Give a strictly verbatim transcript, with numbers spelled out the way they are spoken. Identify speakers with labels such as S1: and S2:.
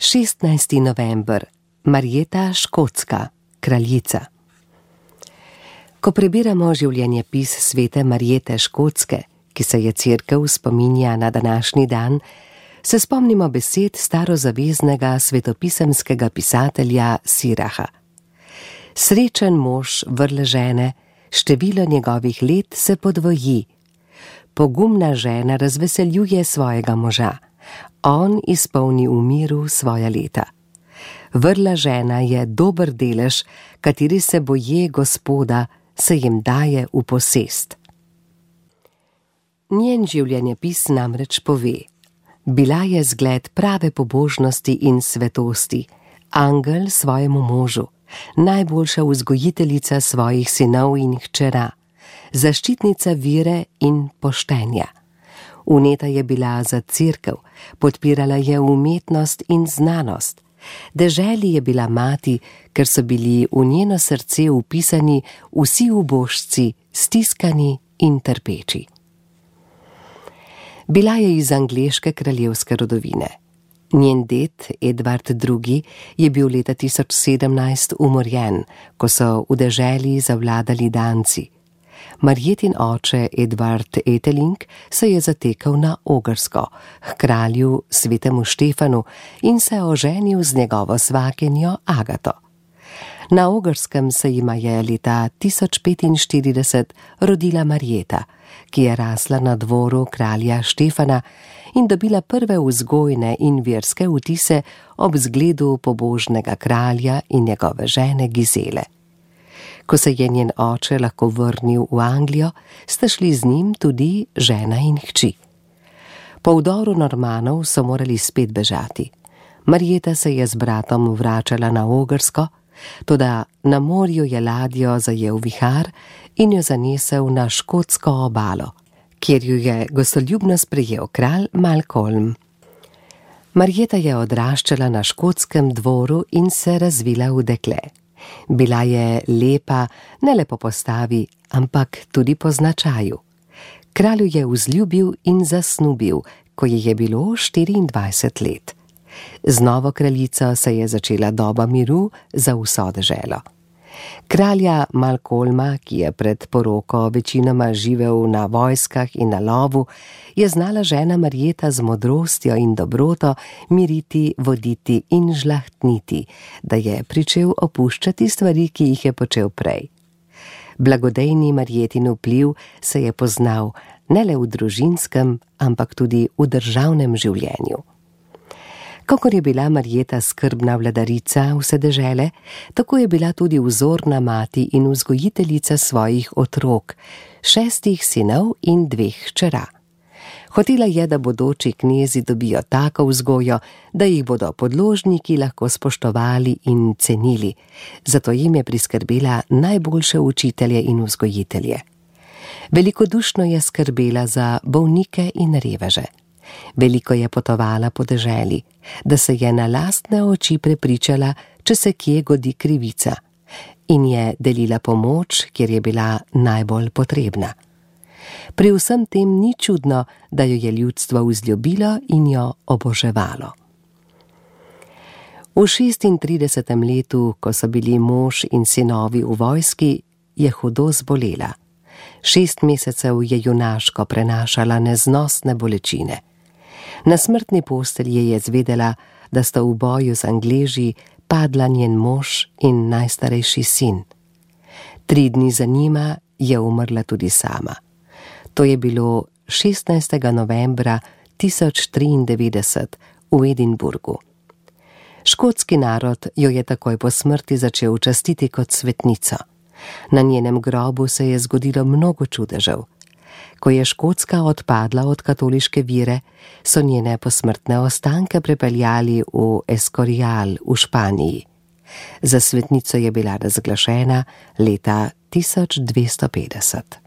S1: šestnajsti november. Marjeta Škotska, kraljica. Ko prebiramo življenjepis svete Marjete Škotske, ki se je Cerkev spominja na današnji dan, se spomnimo besed starozaveznega svetopisemskega pisatelja Siraha. Srečen mož vrle žene, število njegovih let se podvoji. Pogumna žena razveseljuje svojega moža, on izpolni v miru svoja leta. Vrla žena je dober delež, kateri se boje Gospoda, se jim daje v posest. Njen življenjepis namreč pove: bila je zgled prave pobožnosti in svetosti, angel svojemu možu, najboljša vzgojiteljica svojih sinov in hčera, zaščitnica vere in poštenja. Vneta je bila za Cerkev, podpirala je umetnost in znanost. Deželi je bila mati, ker so bili v njeno srce vpisani vsi ubožci, stiskani in trpeči. Bila je iz angleške kraljevske rodovine. Njen ded, Edvard drugi, je bil leta tisoč sedemnajst umorjen, ko so v deželi zavladali Danci. Marjetin oče Edvard Eteling se je zatekal na Ogrsko, k kralju svetemu Štefanu, in se oženil z njegovo svakinjo Agato. Na Ogrskem se jima je leta tisoč petinštirideset rodila Marjeta, ki je rasla na dvoru kralja Štefana in dobila prve vzgojne in verske vtise ob zgledu pobožnega kralja in njegove žene Gizele. Ko se je njen oče lahko vrnil v Anglijo, sta šli z njim tudi žena in hči. Po vdoru Normanov so morali spet bežati. Marjeta se je z bratom vračala na Ogrsko, toda na morju je ladjo zajel vihar in jo zanesel na škotsko obalo, kjer ju je gostoljubno sprejel kralj Malcolm. Marjeta je odraščala na škotskem dvoru in se razvila v dekle. Bila je lepa ne le po postavi, ampak tudi po značaju. Kralju je vzljubil in zasnubil, ko ji je bilo štiriindvajset let. Z novo kraljico se je začela doba miru za vso deželo. Kralja Malcolma, ki je pred poroko večinoma živel na vojskah in na lovu, je znala žena Marjeta z modrostjo in dobroto miriti, voditi in žlahtniti, da je pričel opuščati stvari, ki jih je počel prej. Blagodejni Marjetin vpliv se je poznal ne le v družinskem, ampak tudi v državnem življenju. Kakor je bila Marjeta skrbna vladarica vse dežele, tako je bila tudi vzorna mati in vzgojiteljica svojih otrok, šestih sinov in dveh hčera. Hotela je, da bodoči knezi dobijo tako vzgojo, da jih bodo podložniki lahko spoštovali in cenili, zato jim je priskrbela najboljše učitelje in vzgojitelje. Velikodušno je skrbela za bolnike in reveže. Veliko je potovala po deželi, da se je na lastne oči prepričala, če se kje godi krivica, in je delila pomoč, kjer je bila najbolj potrebna. Pri vsem tem ni čudno, da jo je ljudstvo vzljubilo in jo oboževalo. V šestintridesetem letu, ko so bili mož in sinovi v vojski, je hudo zbolela. Šest mesecev je junaško prenašala neznosne bolečine. Na smrtni postelji je zvedela, da sta v boju z Angleži padla njen mož in najstarejši sin. Tri dni za njima je umrla tudi sama. To je bilo šestnajstega novembra tisoč triindevetdeset v Edinburgu. Škotski narod jo je takoj po smrti začel častiti kot svetnico. Na njenem grobu se je zgodilo mnogo čudežev. Ko je Škotska odpadla od katoliške vere, so njene posmrtne ostanke prepeljali v Escorial v Španiji. Za svetnico je bila razglašena leta tisoč dvesto petdeset.